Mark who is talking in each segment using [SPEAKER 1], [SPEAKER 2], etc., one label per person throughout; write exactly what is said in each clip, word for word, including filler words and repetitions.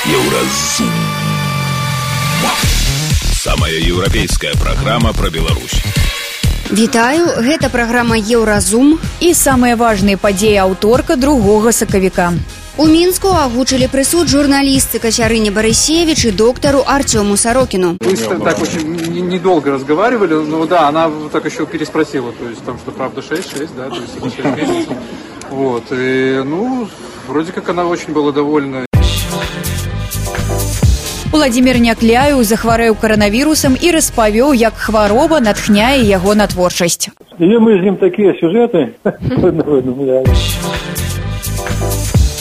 [SPEAKER 1] Еўразум. Самая еўрапейская праграма пра Беларусь.
[SPEAKER 2] Вітаю, гэта праграма Еўразум.
[SPEAKER 3] І самыя важныя падзеі аўторка другога сакавіка.
[SPEAKER 2] У Мінску агучылі прысуд журналістцы Кацярыне Барысевіч и доктору Артему Сорокину.
[SPEAKER 4] Мы так очень недолго разговаривали, но да, она так еще переспросила, то есть там, что правда шесть шесть, да, то есть шесть месяцев. Вот, и, ну, вроде как она очень была довольна.
[SPEAKER 3] Уладзімір Някляеў захварэў каранавірусам і распавёў, як хвароба натхняе яго на творчасць.
[SPEAKER 5] І мы з ім такія сюжэты.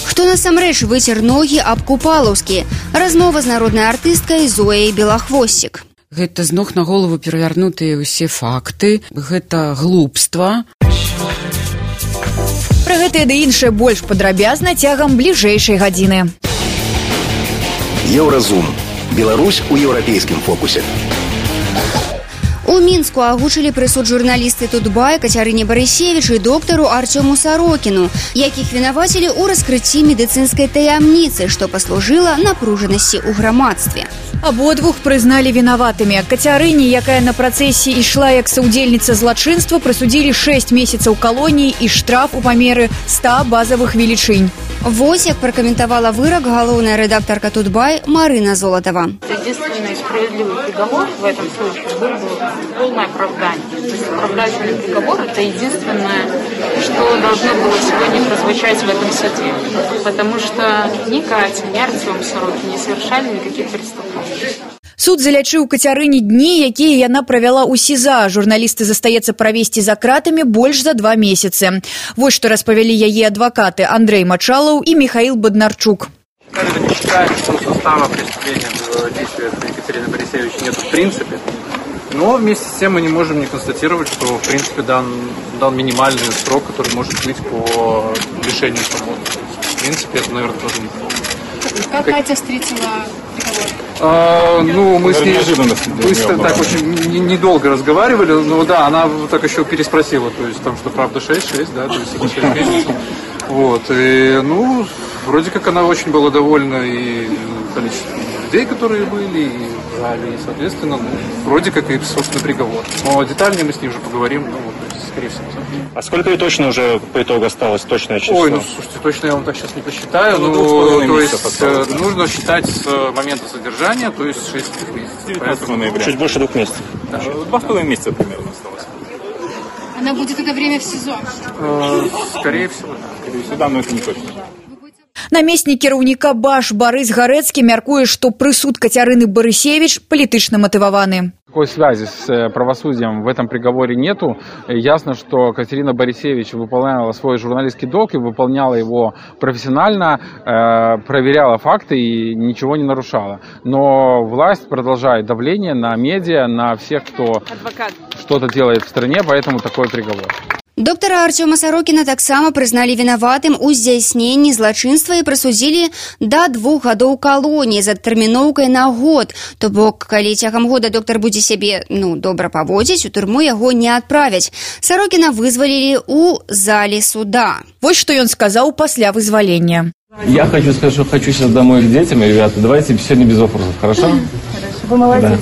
[SPEAKER 2] Хто насамрэч выцер ногі аб Купалаўскі? Размова з народнай артысткай Зояй Белахвосцік.
[SPEAKER 6] Гэта з ног на голову перавярнутыя ўсе факты, гэта глупства.
[SPEAKER 3] Пра гэтае ды іншае больш падрабязна цягам бліжэйшай гадзіны.
[SPEAKER 1] Еўразум. Беларусь у еўрапейскім фокусе.
[SPEAKER 2] У Мінску агучылі прысуд журналісты Тутбай Кацярыне Барысевіч и доктору Артему Сорокину, якіх вінавацілі ў раскрыцці медыцынскай таямніцы, што паслужыла напружанасці ў грамадстве.
[SPEAKER 3] Абодвух прызналі вінаватымі. Кацярыне, якая на працэсе ішла як саўдзельніца злачынства, прысудзілі шэсць месяцаў калоніі і штраф у памеры ста базавых велічынь.
[SPEAKER 2] Вось як пракаментавала вырак галоўная рэдактарка Тутбай Марына Золотова.
[SPEAKER 7] Единственный справедливый приговор в этом случае был бы полное оправдание. То есть оправдательный приговор – это единственное, что должно было сегодня прозвучать в этом суде. Потому что ни Катя, ни Артем Сорокин не совершали никаких преступлений.
[SPEAKER 3] Суд залячыў Кацярыне дні, якія яна правяла ў СІЗА. Журналісты застаецца правесці за кратамі больш за два месяцы. Вось што распавялі яе адвакаты Андрей Мачалаў і Михаил Боднарчук.
[SPEAKER 4] Не считаем, что состава преступления действия Екатерины Борисевич нет в принципе. Но вместе с тем мы не можем не констатировать, что в принципе дан, дан минимальный срок, который может быть по лишению свободы. В принципе, это, наверное, тоже неплохо.
[SPEAKER 8] Как Катя встретила приговор?
[SPEAKER 4] А, ну, мы с ней быстро, так очень недолго разговаривали, но да, она так еще переспросила, то есть там, что правда шесть шесть, да, то есть шесть месяцев. Вот, и, ну, вроде как она очень была довольна и количеством людей, которые были, и в зале, и, соответственно, ну, вроде как и, собственно, приговор. Но детальнее мы с ней уже поговорим, ну, вот, то есть, скорее всего.
[SPEAKER 5] А сколько ей точно уже по итогу осталось, точное число?
[SPEAKER 4] Ой, ну, слушайте, точно я вам так сейчас не посчитаю, ну, ну то есть, осталось. Нужно считать с момента содержания, то есть шесть месяцев.
[SPEAKER 5] девятнадцатого ноября. Чуть больше двух месяцев. Да. Два с половиной месяца примерно осталось.
[SPEAKER 8] Она будет это время в СИЗО?
[SPEAKER 4] Э, скорее всего, да.
[SPEAKER 5] Скорее всего, да, но это не точно.
[SPEAKER 3] Намеснік кіраўніка БАШ Барыс Гарэцкі мяркуе, што прысуд Кацярыны Барысевіч палітычна матываваны.
[SPEAKER 9] Такой связи с правосудием в этом приговоре нету. Ясно, что Катерина Борисевич выполняла свой журналистский долг и выполняла его профессионально, э, проверяла факты и ничего не нарушала. Но власть продолжает давление на медиа, на всех, кто Адвокат. Что-то делает в стране, поэтому такой приговор.
[SPEAKER 2] Доктора Артема Сорокина таксама прызналі вінаватым у здзяйсненні злачынства і прысудзілі да двух гадоў калоніі з адтэрміноўкай на год. То бок, калі цягам года доктар будзе сябе, ну, добра паводзіць, у турму яго не адправяць. Сорокина вызвалілі ў зале суда.
[SPEAKER 3] Вось што ён сказаў пасля вызвалення.
[SPEAKER 10] Я хочу сказать, что хочу сейчас домой к детям, ребята. Давайте сегодня без вопросов, хорошо?
[SPEAKER 8] Хорошо, вы молодец.
[SPEAKER 10] Да.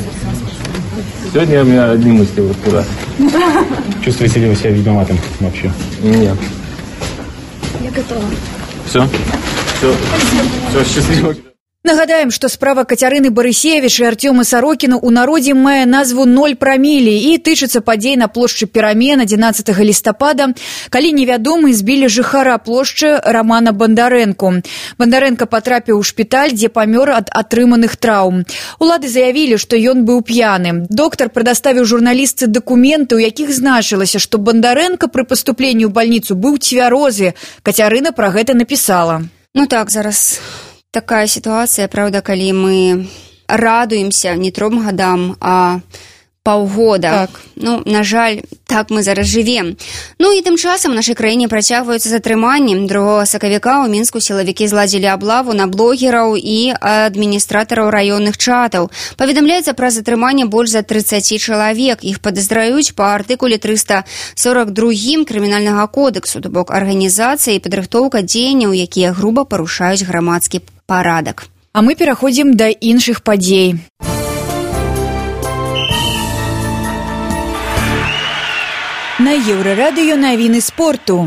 [SPEAKER 10] Сегодня у меня одни мысли вот куда.
[SPEAKER 5] Чувствуете ли вы себя виноватым вообще?
[SPEAKER 10] Нет.
[SPEAKER 8] Я готова.
[SPEAKER 10] Все? Все. Все, счастливо.
[SPEAKER 3] Нагадаем, што справа Кацярыны Барысевіч і Артёма Сорокіна ў народзе мае назву «Ноль прамілі» і тычыцца падзей на плошчы Перамен адзінаццатага лістапада, калі невядомы збілі жыхара плошчы Рамана Бандарэнку. Бандарэнка патрапіў у шпіталь, дзе памёр ад атрыманых траўм. Улады заявілі, што ён быў п'яны. Доктар прадаставіў журналістцы дакументы, у якіх значылася, што Бандарэнка пры паступленні ў бальніцу быў цвярозы. Кацярына пра гэта напісала.
[SPEAKER 2] Ну так, зараз... Такая ситуация, правда, калі мы радуемся не тром годам, а паўгода.
[SPEAKER 3] Так.
[SPEAKER 2] Ну, на жаль, так мы зараз жывем. Ну і тым часам у нашай краіне працягваюцца затрыманні. другога сакавіка ў Мінску сілавікі зладзілі аблаву на блогераў і адміністратараў раённых чатаў. Паведамляецца пра затрыманне больш за тридцать чалавек. Іх падазраюць па артыкуле триста сорок два крымінальнага кодексу, то бок арганізацыя і падрыхтоўка дзеянняў, якія груба парушаюць грамадскі парадак.
[SPEAKER 3] А мы пераходзім да іншых падзей. На Еўрарадыё навіны спорту.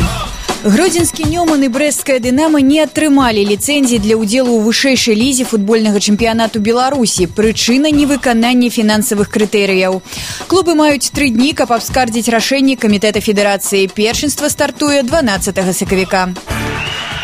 [SPEAKER 3] Гродзенскі Нёман і брэсцкая Дынамо не атрымалі ліцэнзіі для ўдзелу ў вышэйшай лізе футбольнага чэмпіянату Беларусі. Прычына невыканання фінансавых крытэрыяў. Клубы маюць тры дні, каб абскардзіць рашэнне камітэта федэрацыі. Першынства стартуе дванаццатага сакавіка.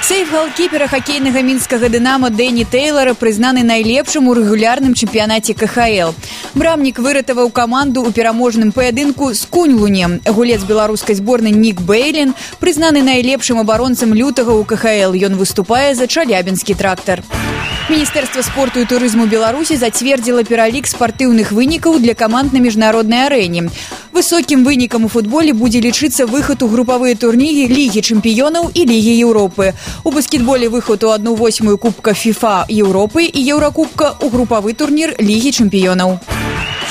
[SPEAKER 3] Сейф галкіпера хакейнага мінскага Дынамо Дэні Тэйлора прызнаны найлепшым у рэгулярным чэмпіянаце ка ха эл. Брамнік выратаваў каманду ў пераможным паядынку з Куньлунем. Гулец беларускай зборнай Нік Бэйлін прызнаны найлепшым абаронцам лютага ў ка ха эл. Ён выступае за Чалябінскі трактар. Міністэрства спорту і турызму Беларусі зацвердзіла пералік спартыўных вынікаў для каманд на міжнароднай арэне. Высокім вынікам у футболе будзе лічыцца выхад у групавыя турніры Лігі чэмпіёнаў і Лігі Еўропы. У баскетболе выхад у адну восьмую Кубка ФІФА Еўропы і Еўракубка ў групавы турнір Лігі чэмпіёнаў.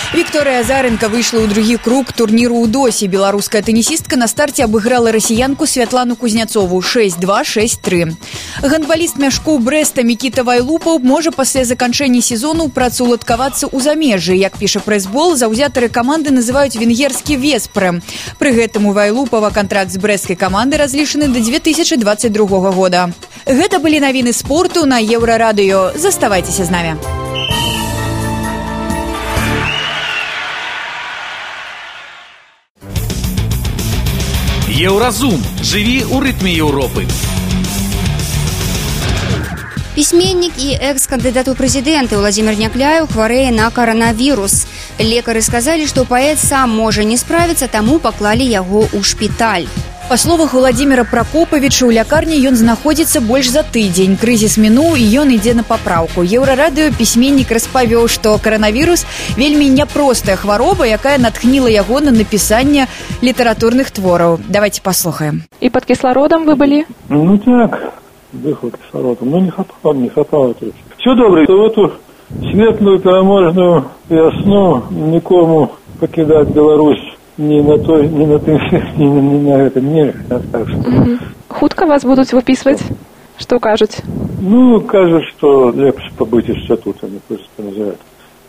[SPEAKER 3] Вікторыя Азаренка выйшла ў другі круг турніру ў Досі. Беларуская тэнісістка на старце абыграла расіянку Святлану Кузняцову шэсць два шэсць тры. Гандбаліст мяшкоў Брэста Мікіта Вайлупаў можа пасля заканчэння сезону працаўладкавацца ў замежжы. Як піша прэсбол, заўзятары каманды называюць венгерскі Веспрэм. Пры гэтым у Вайлупава кантракт з брэсцкай каманды разлічаны да дзве тысячы дваццаць другога года. Гэта былі навіны спорту на Еўрарадыё. Заставайцеся з намі.
[SPEAKER 11] Еўразум. Жыві ў рытме Еўропы.
[SPEAKER 2] Пісьменнік і экс-кандыдат у прэзідэнты Владзімір Някляеў хварэе на каранавірус. Лекары сказалі, што паэт сам можа не справіцца, таму паклалі яго ў шпіталь.
[SPEAKER 3] Па словах Владзіміра Пракопавіча, у лякарні ён знаходзіцца больш за тыдзень. Крызіс мінуў, і ён ідзе на папраўку. Еўрарадыё пісьменнік распавёў, што каранавірус вельмі няпростая хвароба, якая натхніла яго на напісанне літаратурных твораў. Давайте послухаем.
[SPEAKER 12] И под кислородом вы были?
[SPEAKER 13] Ну так, дыхал кислородом, но не хапало, не хапало. Все добре, в эту светлую, переможную весну никому покидать Беларусь ни на той, ни на тым, ни, ни на этом не. Так что...
[SPEAKER 12] Угу. Хутка вас будут выписывать? Что кажуть?
[SPEAKER 13] Ну, кажут, что легче побыть еще тут, они просто называют.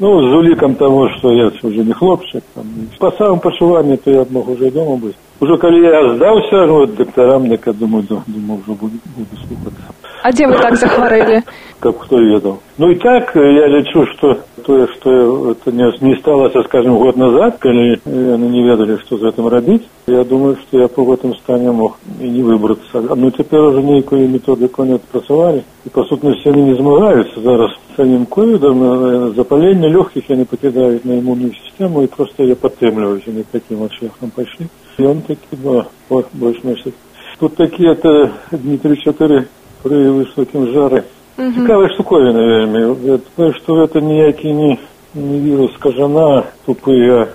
[SPEAKER 13] Ну, с уликом того, что я уже не хлопчик. Там. По самому почуванию, то я мог уже дома быть. Уже когда я сдался, вот, докторам, я думаю, думаю, уже буду, буду слухаться.
[SPEAKER 12] А где вы так захворели?
[SPEAKER 13] Как кто ведал. Ну и так, я лечу, что то, что это не, не сталося, скажем, год назад, когда они не ведали, что за этим робить, я думаю, что я по этом стане мог и не выбраться. Ну, теперь уже никакой методику не отпрацовали. И, по сутности, они не змагаются зараз с самим ковидом. Запаление легких они покидают на иммунную систему и просто ее подтемливают. Они таким вот шляхом пошли. И он таки, да, вот, больше месяца. Тут такие-то дни три-четыре при высоким жаре. Угу. Цікава штуковина, вельми. Я думаю, что это ніякий не, не вирус кажана, тупый, а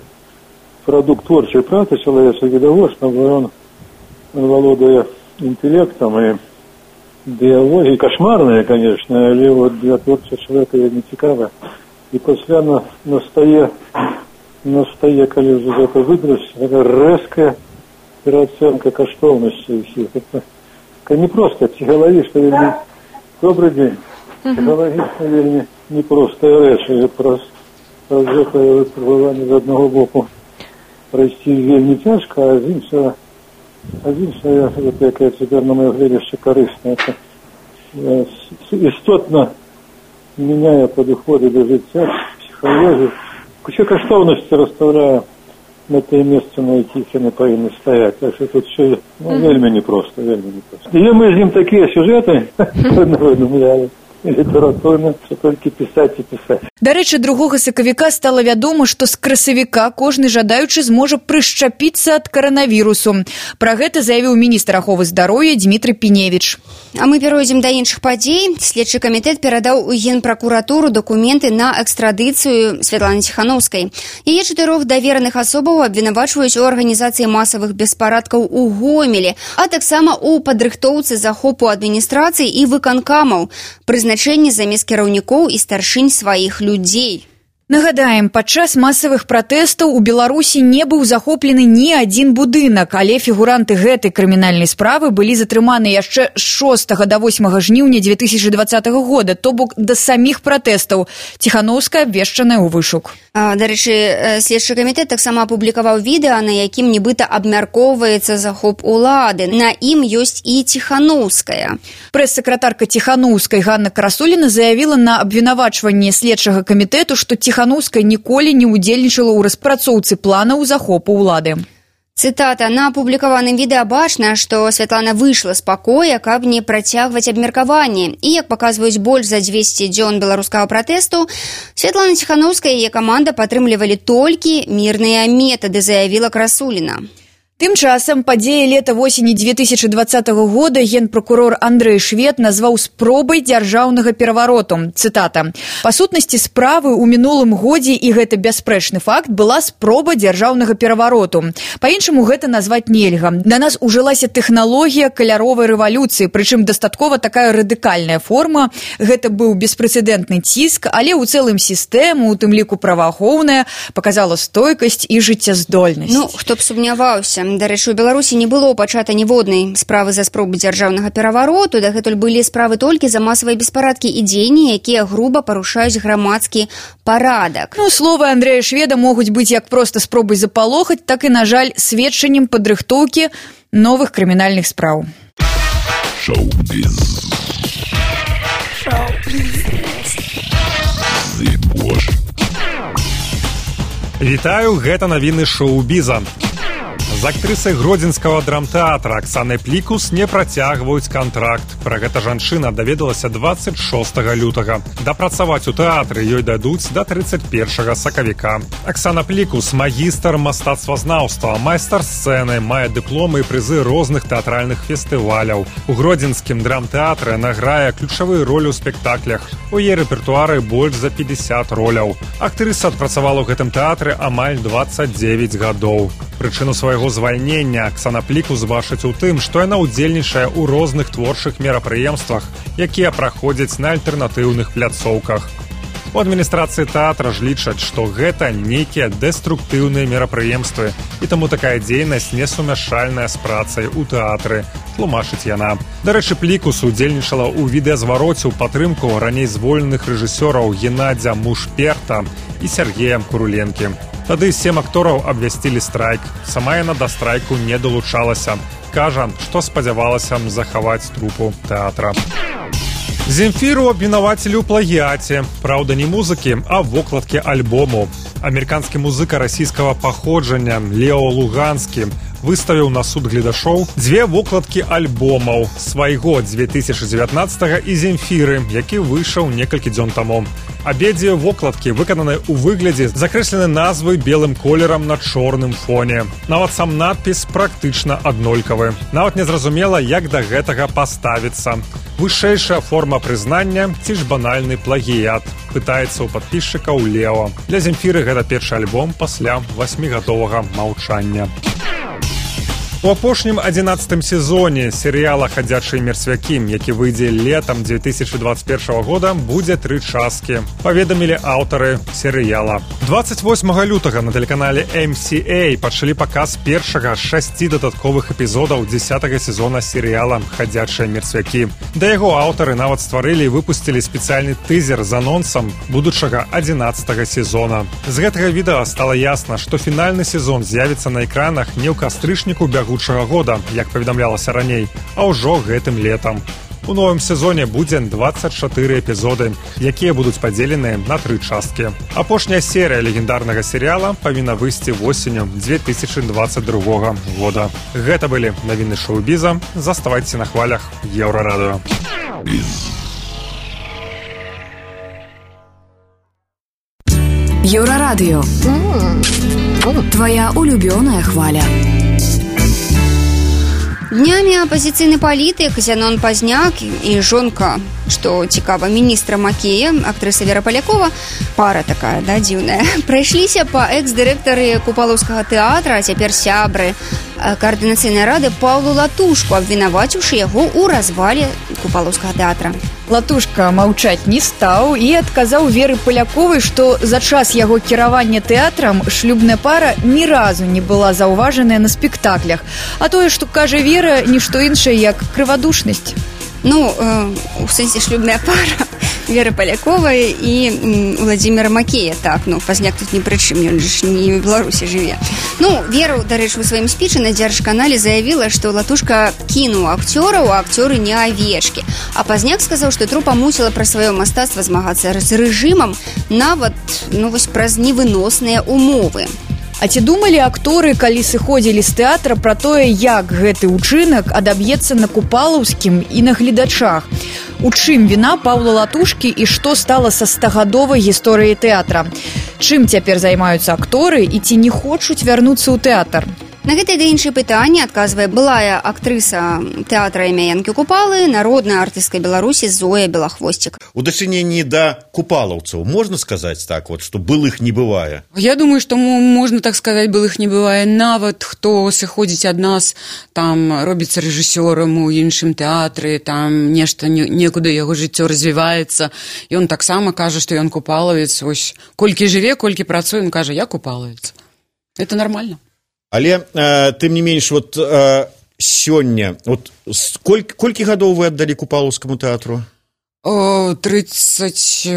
[SPEAKER 13] продукт творчей працы человека видовошного. Он, он володая интеллектом и биологией, кошмарная, конечно, але вот для творчего человека не цікава. И после на, на стае, на стае, коли уже это выбрать, такая резкая переоценка коштовностей всех. Это, это не просто психологически, вельми... Добрый день. Психологически вельми непростая речь. И просто випробування з одного боку пройти вельми тяжко, а з іншого, а з іншого, яке тепер на моє глядище корисно, це істотно міняє підходи до життя, психологію. Кучу коштовності розставляє на те місце, на яких вони повинні стояти. Так що тут все ну, вельми непросто, вельми непросто. І ми з ним такі сюжети видумляли. Літаратурна, це тільки писати і писати.
[SPEAKER 3] Дарэчы, другога сакавіка стала вядома, што з красавіка кожны жадаючы зможа прышчапіцца ад каранавірусу. Пра гэта заявіў міністр аховы здароўя Дмітрый Піневіч.
[SPEAKER 2] А мы перайдзем да іншых падзей. Следчы камітэт перадаў у Генпракуратуру дакументы на экстрадыцыю Святланы Ціханаўскай. Яе чатырох давераных асобаў абвінавачваюць у арганізацыі масавых беспарадкаў у Гомелі, а таксама у падрыхтоўцы захопу адміністрацыі і выканкамаў, прызначэнні замест кіраўнікоў і старшынь сваіх людзей.
[SPEAKER 3] Нагадаем, падчас масавых пратэстаў у Беларусі не быў захоплены ні адзін будынак, але фігуранты гэтай крымінальнай справы былі затрыманы яшчэ з шостага да восьмага жніўня дзве тысячы дваццатага года, то бок да саміх пратэстаў. Ціханаўская абвешчаная ў вышук.
[SPEAKER 2] Дарэчы, следчы камітэт таксама апублікаваў відэа, на якім нібыта абмяркоўваецца захоп улады. На ім ёсць і Ціханаўская.
[SPEAKER 3] Прэс-сакратарка Ціханаўскай Ганна Красуліна заявіла на абвінавачванне следчага камітэту, што Ціханаўская ніколі не ўдзельнічала ў распрацоўцы планаў захопу ўлады.
[SPEAKER 2] Цытата. На апублікаваным відэа бачна, што Святлана выйшла з пакоя, каб не працягваць абмеркаванне. І, як паказваюць больш за дзвесце дзён беларускага пратэсту, Святлана Ціханаўская і яе каманда падтрымлівалі толькі мірныя метады, заявіла Красуліна.
[SPEAKER 3] Тым часам падзеі лета-восені дзве тысячы дваццатага года генпракурор Андрэй Швед назваў спробай дзяржаўнага перавароту. Цытата. Па сутнасці справы ў мінулым годзе, і гэта бясспрэчны факт, была спроба дзяржаўнага перавароту. Па-іншаму гэта назваць нельга. Да нас ужылася тэхналогія каляровай рэвалюцыі, прычым дастаткова такая радыкальная форма. Гэта быў беспрэцэдэнтны ціск, але ў цэлым сістэма, у тым ліку праваахоўная, паказала стойкасць і жыццяздольнасць.
[SPEAKER 2] Ну, хто б сумняваўся. Дарэчы, у Беларусі не было пачата ніводнай справы за спробу дзяржаўнага перавароту, дагэтуль былі справы толькі за масавыя беспарадкі і дзеянні, якія груба парушаюць грамадскі парадак.
[SPEAKER 3] Ну, словы Андрэя Шведа могуць быць як проста спробай запалохаць, так і, на жаль, сведчаннем падрыхтоўкі новых крымінальных спраў.
[SPEAKER 1] Шоу-біз. Шоу-біз.
[SPEAKER 14] Вітаю, гэта навіны шоу-біза. З актрысай гродзенскага драмтэатра Аксанай Плікус не працягваюць кантракт. Пра гэта жанчына даведалася дваццаць шостага лютага. Дапрацаваць у тэатры ёй дадуць да трыццаць першага сакавіка. Аксана Плікус – магістр мастацтвазнаўства, майстар сцэны, мае дыпломы і прызы розных тэатральных фестываляў. У гродзенскім драмтэатры награе ключавыя ролі ў спектаклях. У яе рэпертуары больш за пятьдесят роляў. Актрыса адпрацавала ў гэтым тэатры амаль дваццаць дзевяць гадоў. Прычыну свайго звальнення Аксана Плікус бачыць у тым, што яна ўдзельнічае ў розных творчых мерапрыемствах, якія праходзяць на альтэрнатыўных пляцоўках. У адміністрацыі тэатра ж лічаць, што гэта нейкія дэструктыўныя мерапрыемствы, і таму такая дзейнасць несумяшальная з працай у тэатры, тлумачыць яна. Дарэчы, Плікус удзельнічала ў відэазвароце ў падтрымку раней звольненых рэжысёраў Геннадзя Мушперта і Сергея Куруленкі. Тады сем актораў абвясцілі страйк. Сама яна да страйку не далучалася. Кажа, што спадзявалася захаваць трупу тэатра. Земфіру абвінавацілі ў плагіяце. Праўда, не музыкі, а вокладкі альбому. Амерыканскі музыка расійскага паходжання Лео Луганскі выставіў на суд гледашоў дзве вокладкі альбомаў свайго дзве тысячы дзевятнаццатага і Земфіры, які выйшаў некалькі дзён таму. Абедзве вокладкі выкананы ў выглядзе закрэслены назвы белым колерам на чорным фоне. Нават сам надпіс практычна аднолькавы. Нават незразумела, як да гэтага паставіцца. Вышэйшая форма прызнання ці ж банальны плагіят, пытаецца ў падпісчыкаў Лео. Для Земфіры гэта першы альбом пасля васьмігадовага маўчання. У апошнім адзінаццатым сезоне серыяла «Хадзячыя мерцвякі», які выйдзе летам дзве тысячы дваццаць першага года, будзе тры часткі, паведамілі аўтары серыяла. дваццаць восьмага лютага на тэлеканале эм сі эй пачалі паказ першага з шасці дадатковых эпізодаў дзесятага сезона серыяла «Хадзячыя мерцвякі». Да яго аўтары нават стварылі і выпусцілі спецыяльны тызер з анонсам будучага адзінаццатага сезона. З гэтага відэа стала ясна, што фінальны сезон з'явіцца на экранах не ў кастрычніку бягучага года, як паведамлялася раней, а ўжо гэтым летам. У новым сезоне будзе дваццаць чатыры эпізоды, якія будуць падзеленыя на тры часткі. Апошняя серыя легендарнага серыяла павінна выйсці восенню дзве тысячы дваццаць другога года. Гэта былі навіны шоу-біза. Заставайцеся на хвалях Еўрарадыё.
[SPEAKER 15] Еўрарадыё. Твоя улюбёная хваля.
[SPEAKER 2] Днямі апазіцыйны палітык Зянон Пазняк і жонка, што цікава, міністра Макея, актрыса Вера Палякова, пара такая, да, дзіўная, прайшліся па экс-дырэктары Купалаўскага тэатра, а цяпер сябры каардынацыйнай рады Паўлу Латушку, абвінаваціўшы яго ў развале Купалаўскага тэатра.
[SPEAKER 3] Латушка маўчаць не стаў і адказаў Веры Паляковай, што за час яго кіравання тэатрам шлюбная пара ні разу не была заўважаная на спектаклях. А тое, што кажа Вера, нішто іншае, як крывадушнасць.
[SPEAKER 2] Ну, э, у сэнсе шлюбная пара Веры Паляковай і Владзіміра Макея, так, ну, Пазняк тут ні пры чым, ён ж не ў Беларусі жыве. Ну, Вера, дарэчы, у сваім спічы на Дзяржканале заявіла, што Латушка кінуў акцёраў, а акцёры не авечкі. А Пазняк сказаў, што трупа мусіла пра сваё мастацтва змагацца з рэжымам нават, ну, вось праз невыносныя умовы.
[SPEAKER 3] А ці думалі акторы, калі сыходзілі з тэатра, пра тое, як гэты ўчынак адаб'ецца на Купалаўскім і на гледачах? У чым віна Паўла Латушкі і што стала са стагадовай гісторыяй тэатра? Чым цяпер займаюцца акторы і ці не хочуць вярнуцца ў тэатр?
[SPEAKER 2] На гэтае ды іншае пытанне адказвае былая актрыса тэатра імя Янкі Купалы, народная артыстка Беларусі Зоя Белахвосцік.
[SPEAKER 15] У дачыненні да купалаўцаў можна сказаць так, вот, што былых не бывае?
[SPEAKER 6] Я думаю, што можна так сказаць, былых не бывае. Нават хто сыходзіць ад нас, там робіцца рэжысёрам у іншым тэатры, там нешта некуды яго жыццё развіваецца, і ён таксама кажа, што ён купалавец. Вось колькі жыве, колькі працуе, ён кажа, я купалавец. Это нормально.
[SPEAKER 15] Але, э, тым не менш, вот э, сёння, вот, коль, колькі гадоў вы аддалі Купалаўскаму тэатру?
[SPEAKER 6] тридцать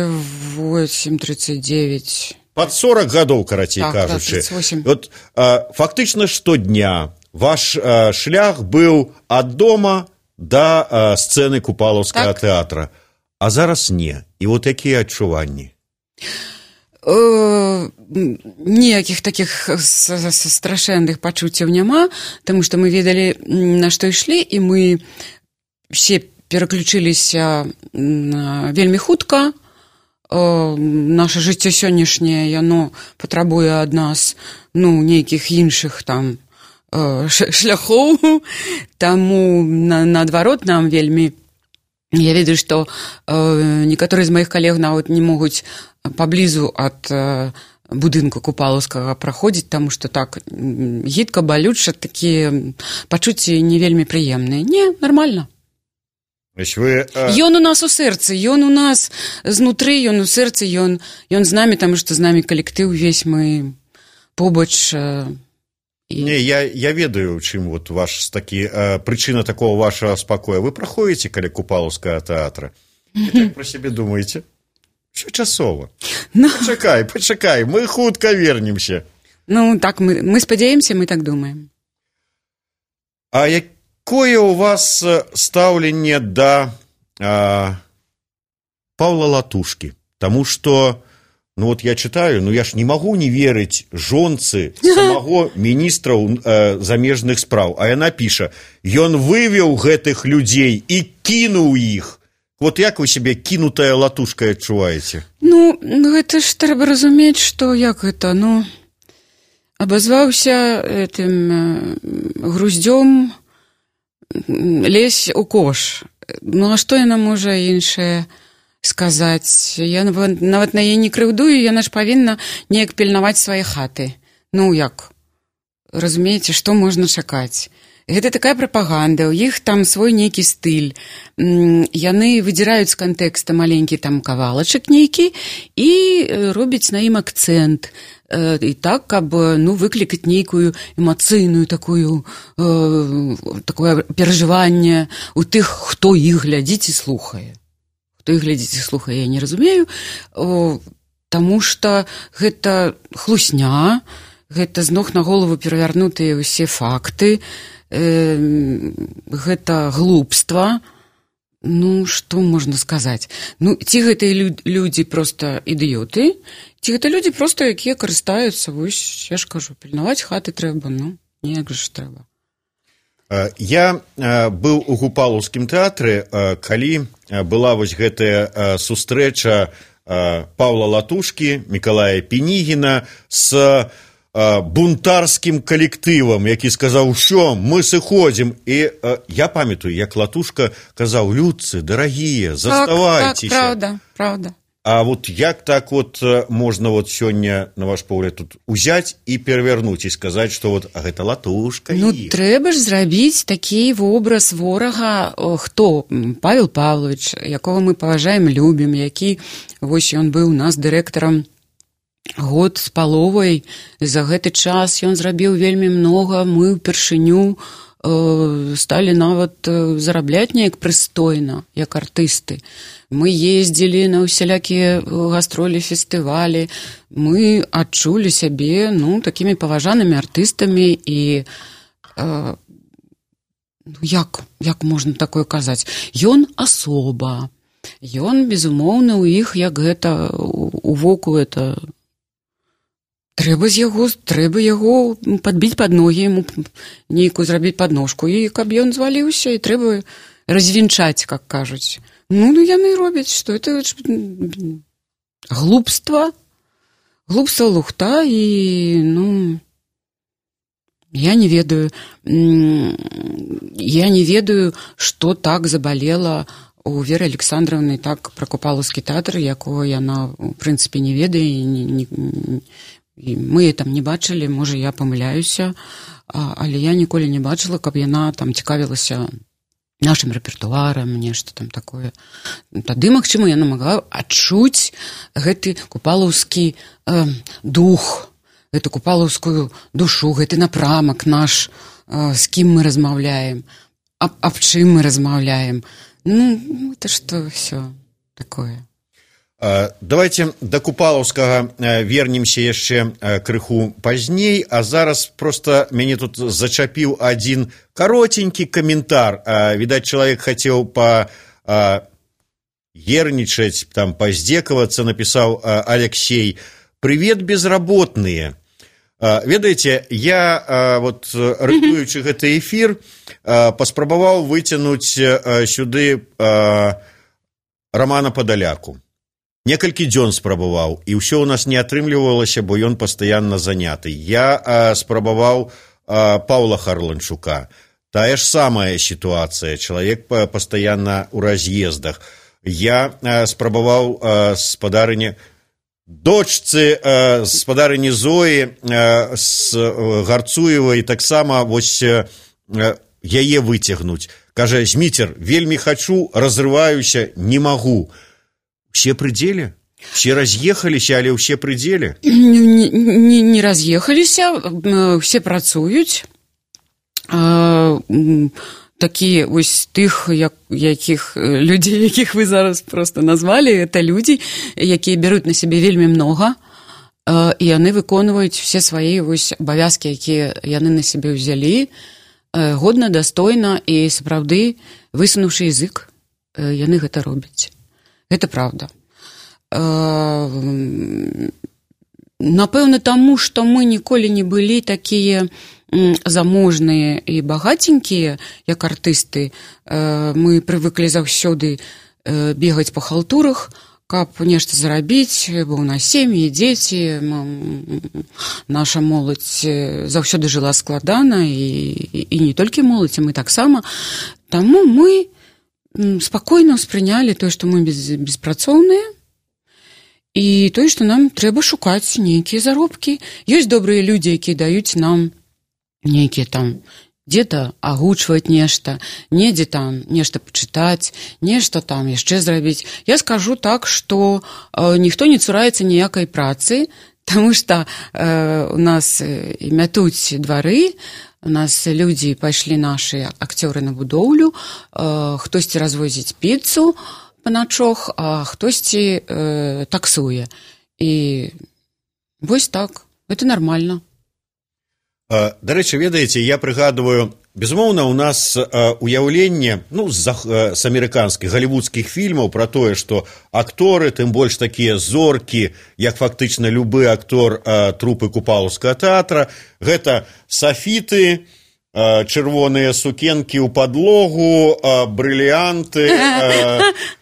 [SPEAKER 6] восемь тридцать девять.
[SPEAKER 15] Под сорок гадоў, карацей
[SPEAKER 6] так,
[SPEAKER 15] кажучы.
[SPEAKER 6] Да, тридцать восемь.
[SPEAKER 15] Вот, э, фактычна штодня ваш э, шлях быў ад дома да э, сцэны Купалаўскага так. тэатра. А зараз не. І вот якія адчуванні?
[SPEAKER 6] Ніякіх такіх страшэнных пачуццяў няма, таму што мы ведалі, на што ішлі, і мы все пераключыліся вельмі хутка. Наша жыццё сённяшняе, яно патрабуе ад нас, ну, нейкіх іншых там шляхоў, таму наадварот нам вельмі. Я ведаю, што э, некаторыя з маіх калег нават не могуць паблізу ад э, будынку Купалаўскага праходзіць, таму што так гідка, балюча, такія пачуцці не вельмі прыемныя. Не, нармальна.
[SPEAKER 15] Вы, э...
[SPEAKER 6] Ён у нас у сэрцы, ён у нас знутры, ён у сэрцы, ён, ён з намі, таму што з намі калектыў увесь мы побач... Э...
[SPEAKER 15] І... Не, я, я ведаю, чым вот ваш такі, э, прычына такого вашего спакоя. Вы праходзіце каля Купалаўскага тэатра. І так пра сябе думаеце? Що часова?
[SPEAKER 6] Ну...
[SPEAKER 15] Пачакай, пачакай, мы хутка вернемся.
[SPEAKER 6] Ну, так, мы, мы спадзяемся, мы так думаем.
[SPEAKER 15] А якое у вас стаўленне да э, Паўла Латушкі? Таму што ну вот я читаю, ну я ж не могу не верыць жонцы самого міністра э, замежных спраў. А яна піша, ён вывеў гэтых людзей і кінуў іх. Вот як вы себе кінутая Латушка адчуваеце?
[SPEAKER 6] Ну, гэта ж трэба разумець, што як гэта, ну, абазваўся этим э, груздзём лезь у кош. Ну, а што яна можа іншае сказаць, я нават на яе не крыўдую, яна ж павінна неяк пільнаваць свае хаты. Ну, як? Разумееце, што можна чакаць? Гэта такая прапаганда, у іх там свой нейкі стыль. Яны выдзіраюць з кантэкста маленькі там кавалачак нейкі і робяць на ім акцэнт. І так, каб, ну, выклікаць нейкую эмацыйную такую, э, такое перажыванне у тых, хто іх глядзіць і слухае. Хто іх глядзіць і слухае, я не разумею, о, таму што гэта хлусня, гэта з ног на голову перавярнутыя ўсе факты, э, гэта глупства. Ну, што можна сказаць? Ну, ці гэтыя людзі проста ідыёты, ці гэта людзі проста, якія карыстаюцца, вось, я ж кажу, пільнаваць хаты трэба, ну, неяк ж трэба.
[SPEAKER 15] Я быў у Купалаўскім тэатры, калі была вось гэтая сустрэча Паўла Латушкі, Мікалая Пінігіна з бунтарскім калектывам, які сказаў, що мы сыходзім. І я памятаю, як Латушка казаў, людцы, дарагія, заставайцеся.
[SPEAKER 6] Так, так, правда, правда.
[SPEAKER 15] А вот як так вот можно вот сёння, на ваш погляд, тут узять и перевернуть и сказать, что вот а гэта латушка?
[SPEAKER 6] Ну, трэба ж зрабіць такі вобраз ворага, хто? Павел Павлович, якого мы паважаем, любім, які, вось ён быў у нас дырэктарам год з паловай, за гэты час ён зрабіў вельмі многа, мы ўпершыню э, сталі нават зарабляць неяк прыстойна, як артысты. Мы ездзілі на ўсялякія гастролі, фестывалі, мы адчулі сябе, ну, такімі паважанымі артыстамі і э, як, як можна такое казаць? Ён асоба, ён, безумоўна, у іх, як гэта, у воку это... Трэба з яго, трэба яго падбіць пад ногі, яму нейкую зрабіць падножку, і каб ён зваліўся, і трэба развінчаць, как кажуць. Ну, ну яны робяць, што это глупства, глупства лухта, і, ну, я не ведаю, я не ведаю, што так забалела у Веры Александровны так пра Купалаўскі тэатр, якого яна, у прынцыпе, не ведае, і не, не, і мы там не бачылі, можа, я памыляюся, але я ніколі не бачыла, каб яна там цікавілася нашым рэпертуарам, нешта там такое. Тады, магчыма, яна магла адчуць гэты купалаўскі э, дух, гэту купалаўскую душу, гэты напрамак наш, э, з кім мы размаўляем, аб, аб чым мы размаўляем. Ну, это што ўсё такое.
[SPEAKER 15] Давайте до Купалаўскага вернемся яшчэ крыху пазней, а зараз просто мяне тут зачапіў один каротенькі каментар. Відаць, чалавек хацеў па ернічаць, там паздзекавацца, напісаў Алексей: «Привет, безработные». Ведаеце, я, вот, рыхтуючы гэты эфір, паспрабаваў выцянуць сюды Романа Падаляку. Некалькі дзён спрабаваў, і ўсё ў нас не атрымлівалася, бо ён пастаянна заняты. Я а, спрабаваў а, Паўла Харланчука. Тая ж самая сітуацыя. Чалавек пастаянна ў раз'ездах. Я а, спрабаваў а, спадарыне дочцы а, спадарыні Зоі а, з Гарцуевай таксама вось а, яе выцягнуць. Кажа: «Зміцер, вельмі хачу, разрываюся, не магу». Все пределе? Все разъехаліся, але ўсе пределе?
[SPEAKER 6] Не, не, не разъехаліся, все працуюць. А, такія вось тых, як, якіх людзей, якіх вы зараз просто назвалі, это людзі, якія бяруць на сябе вельмі многа, а, і яны выконваюць все свае вось абавязкі, якія яны на сябе ўзялі, годна, дастойна, і сапраўды, высунуўшы язык, яны гэта робяць. Гэта правда. Напэўна, таму, што мы ніколі не былі такія заможныя і багаценькія, як артысты. Мы прывыклі заўсёды бегаць па халтурах, каб нешта зарабіць, бо ў нас сем'і, дзеці, наша моладзь заўсёды жыла складана, і, і не толькі моладзь, а мы таксама. Таму мы спакойна ўспрынялі тое, што мы без, беспрацоўныя, і тое, што нам трэба шукаць нейкія заробкі. Ёсць добрыя людзі, якія даюць нам нейкія там, дзе-то агучваць нешта, недзе там нешта пачытаць, нешта там яшчэ зрабіць. Я скажу так, што э, ніхто не цураецца ніякай працы, таму што э, у нас мятуць двары, у нас людзі пайшлі нашы акцёры на будоўлю, э, хтосьці развозіць піцу па начох, а хтосьці э, таксуе. І вось так, гэта нармальна.
[SPEAKER 15] Дарэчы, ведаеце, я прыгадываю, безумоўна, у нас уяўленне, ну, з, з амерыканскіх, галівудскіх фільмаў пра тое, што акторы, тым больш такія зоркі, як фактычна любы актор трупы Купалаўскага тэатра, гэта сафіты, чырвоныя сукенкі ў падлогу, брыліянты,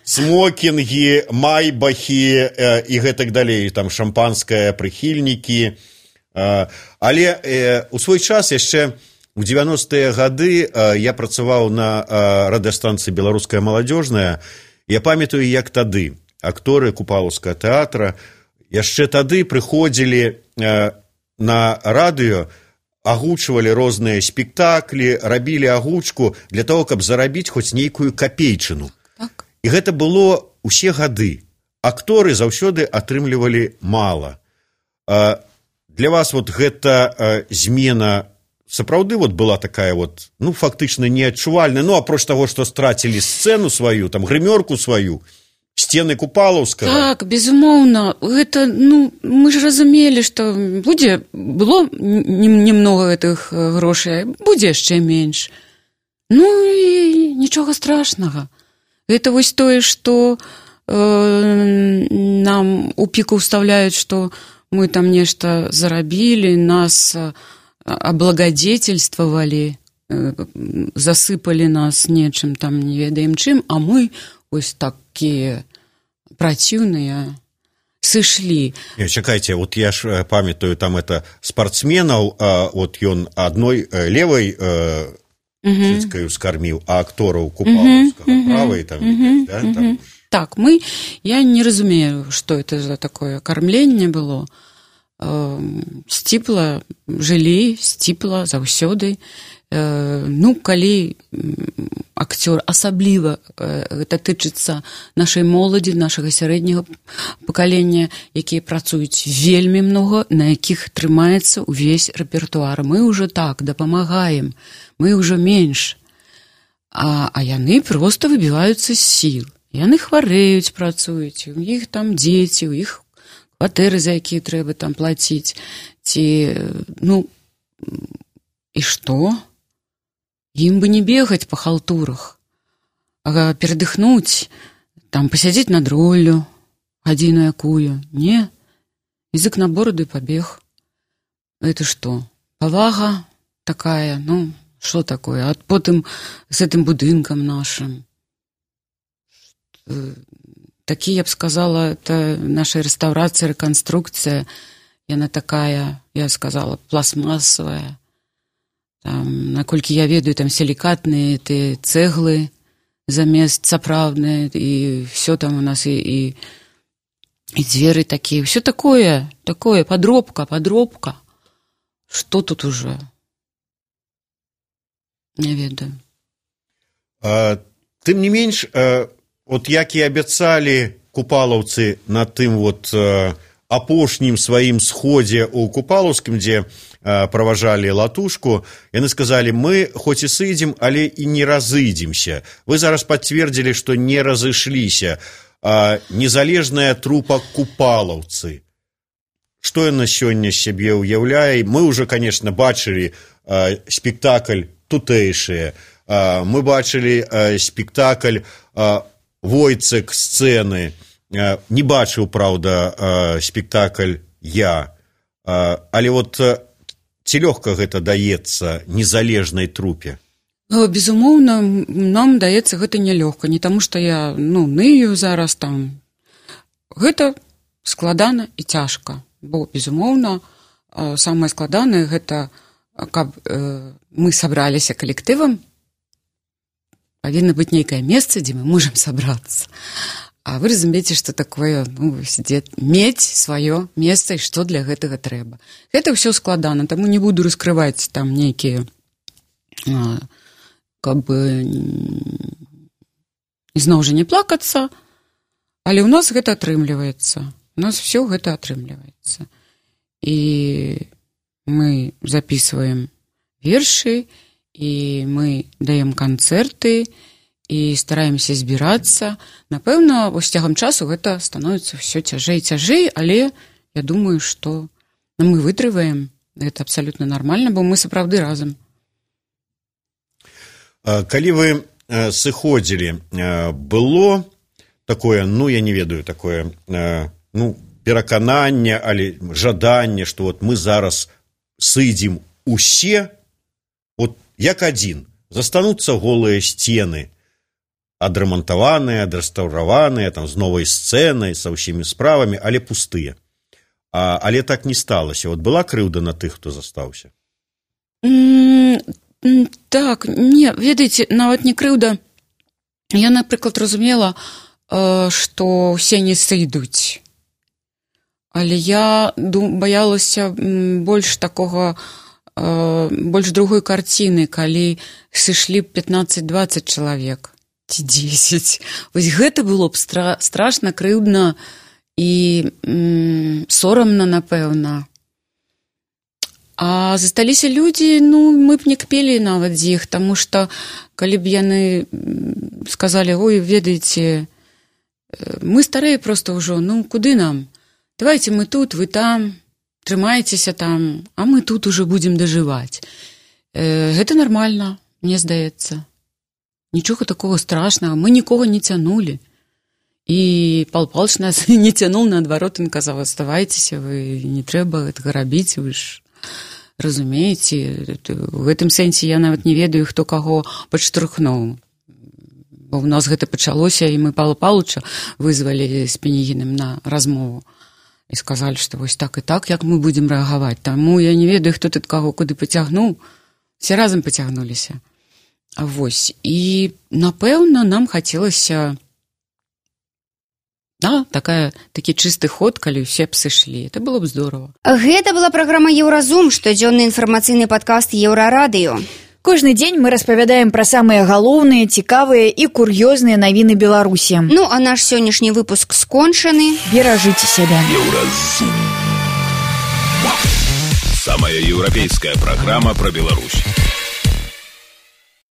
[SPEAKER 15] смокінгі, майбахі і гэтак далей, там шампанскае, прыхільнікі. Але у свой час яшчэ у дзевяностыя гады я працаваў на радыёстанцыі «Беларуская маладзёжная». Я памятаю, як тады акторы купалаўскага тэатра яшчэ тады прыходзілі на радыё, агучвалі розныя спектаклі, рабілі агучку для того, каб зарабіць хоць нейкую капейчыну. Так. І гэта было ўсе гады. Акторы заўсёды атрымлівалі мала. Для вас вот гэта змена сапраўды вот была такая вот, ну, фактычна неадчувальная, ну, апроч таго, што страцілі сцэну сваю, там, грымёрку сваю, сцены Купалаўскага.
[SPEAKER 6] Так, безумоўна, гэта, ну, мы ж разумелі, што будзе, было немного гэтых грошай, будзе яшчэ менш. Ну, і нічога страшнага. Гэта вось тое, што э, нам у піку ўставляюць, што мы там нешта зарабілі, нас аблагадетельствавалі, засыпалі нас нечым там, не ведаем чым, а мы ось такія праціўныя сышлі.
[SPEAKER 15] Не, чакайце, вот я ж памятаю, там это спортсменаў, а, вот ён адной левай цыцкаю скарміў, а актораў Купалаўскага правай там,
[SPEAKER 6] uh-huh.
[SPEAKER 15] да, там.
[SPEAKER 6] Uh-huh. Так, мы, я не разумею, што это за такое кармленне было. Сціпла жылі, сціпла заўсёды. Ну, калі акцёр, асабліва гэта тычыцца нашай моладзі, нашага сярэдняга пакалення, якія працуюць вельмі многа, на якіх трымаецца ўвесь рэпертуар. Мы ўжо так дапамагаем, мы ўжо менш. А, а яны проста выбіваюцца з сіл. Яны хварэюць, працуюць, у іх там дзеці, у іх кватэры, за якія трэба там плаціць. Ці, ну, і што? Ім бы не бегаць па халтурах, а перадыхнуць, там, пасядзець над роллю, гадзіну якую. Не, язык на бороду і пабег. Это што? Павага такая, ну, што такое? А потым з гэтым будынкам нашым. Такі, я б сказала, это наша рэстаўрацыя, рэканструкцыя, яна такая, я сказала, пластмасовая. Там, наколькі я ведаю, там сілікатныя ты цэглы замест сапраўдныя, і все там у нас, і, і, і дзверы такія, все такое, такое, подробка, подробка. Што тут уже? Не ведаю.
[SPEAKER 15] А, тым не менш, а... Вот як і абяцалі купалаўцы на тым вот э, апошнім сваім сходзе ў Купалаўскім, дзе э, праважалі латушку, яны сказалі, мы хоць і сыдзем, але і не разыдземся. Вы зараз пацвердзілі, што не разышліся. Э, незалежная трупа купалаўцы. Што яна сёння сябе ўяўляе? Мы ўжо, конечно, бачылі э, спектакль тутэйшыя. Э, мы бачылі э, спектакль э, Войцек сцэны, не бачыў, праўда, спектакль я, але вот ці лёгка гэта даецца незалежнай трупе?
[SPEAKER 6] Безумоўна, нам даецца гэта нялёгка, не таму што я, ну, ныю зараз там. Гэта складана і цяжка, бо, безумоўна, самае складанае гэта, каб мы сабраліся калектывам, павінна быць нейкае месца, дзе мы можам сабрацца. А вы разумееце, што такое, ну, мець сваё месца і што для гэтага трэба. Гэта ўсё складана, таму не буду раскрываць там нейкія, каб бы ізноў жа не плакацца, але ў нас гэта атрымліваецца. У нас все гэта атрымліваецца. І мы записываем вершы, і мы даем канцэрты і стараемся збірацца. Напэўна, вось цягам часу гэта становіцца ўсё цяжэй і цяжэй, але я думаю, што мы вытрываем. Гэта абсалютна нармальна, бо мы сапраўды разам.
[SPEAKER 15] Калі вы сыходзілі, было такое, ну, я не ведаю, такое, ну, перакананне, але жаданне, што вот мы зараз сыдзем усе, вот як адзін, застануцца голыя сцены, адрамантаваныя, адрэстаўраваныя, там, з новай сцэнай, са ўсімі справамі, але пустыя. А, але так не сталася. Вот была крыўда на тых, хто застаўся?
[SPEAKER 6] Mm, так, не, ведаеце, нават не крыўда. Я, напрыклад, разумела, што ўсе не сойдуць. Але я баялася больш такога, больш другой карціны, калі сышлі б пятнаццаць-дваццаць чалавек ці дзесяць. Вось гэта было б стра- страшна, крыўдна і м, сорамна, напэўна. А засталіся людзі, ну, мы б не кпелі нават з іх, таму што калі б яны сказалі: ой, ведаеце, мы старыя проста ўжо, ну, куды нам? Давайте мы тут, вы там, трымайцеся там, а мы тут уже будзем дажываць. Э, гэта нармальна, мне здаецца. Нічога такого страшнага, мы нікога не цянулі. І Павел Павлович нас не цянул, наадварот, ён казаў: аставайцеся, вы не трэба гэтага рабіць, вы ж разумееце. У гэтым сэнсе я нават не ведаю, хто каго падштурхнуў. Бо ў нас гэта пачалося, і мы Павла Павловича вызвалі з Пенігіным на размову. І сказалі, што вось так і так, як мы будзем рэагаваць. Таму я не ведаю, хто тут каго куды пацягнуў. Все разам пацягнуліся. А вось. І, напэўна, нам хацелася, да, такая, такі чысты ход, калі ўсе б сышлі. Это было б здорово.
[SPEAKER 2] Гэта была праграма «Еўразум», штодзённы інфармацыйны падкаст «Еўрарадыё».
[SPEAKER 3] Кожны дзень мы распавядаем пра самыя галоўныя, цікавыя і кур'ёзныя навіны Беларусі.
[SPEAKER 2] Ну, а наш сённяшні выпуск скончаны.
[SPEAKER 3] Беражыце сябе.
[SPEAKER 1] Еўразум. Самая еўрапейская праграма пра Беларусь.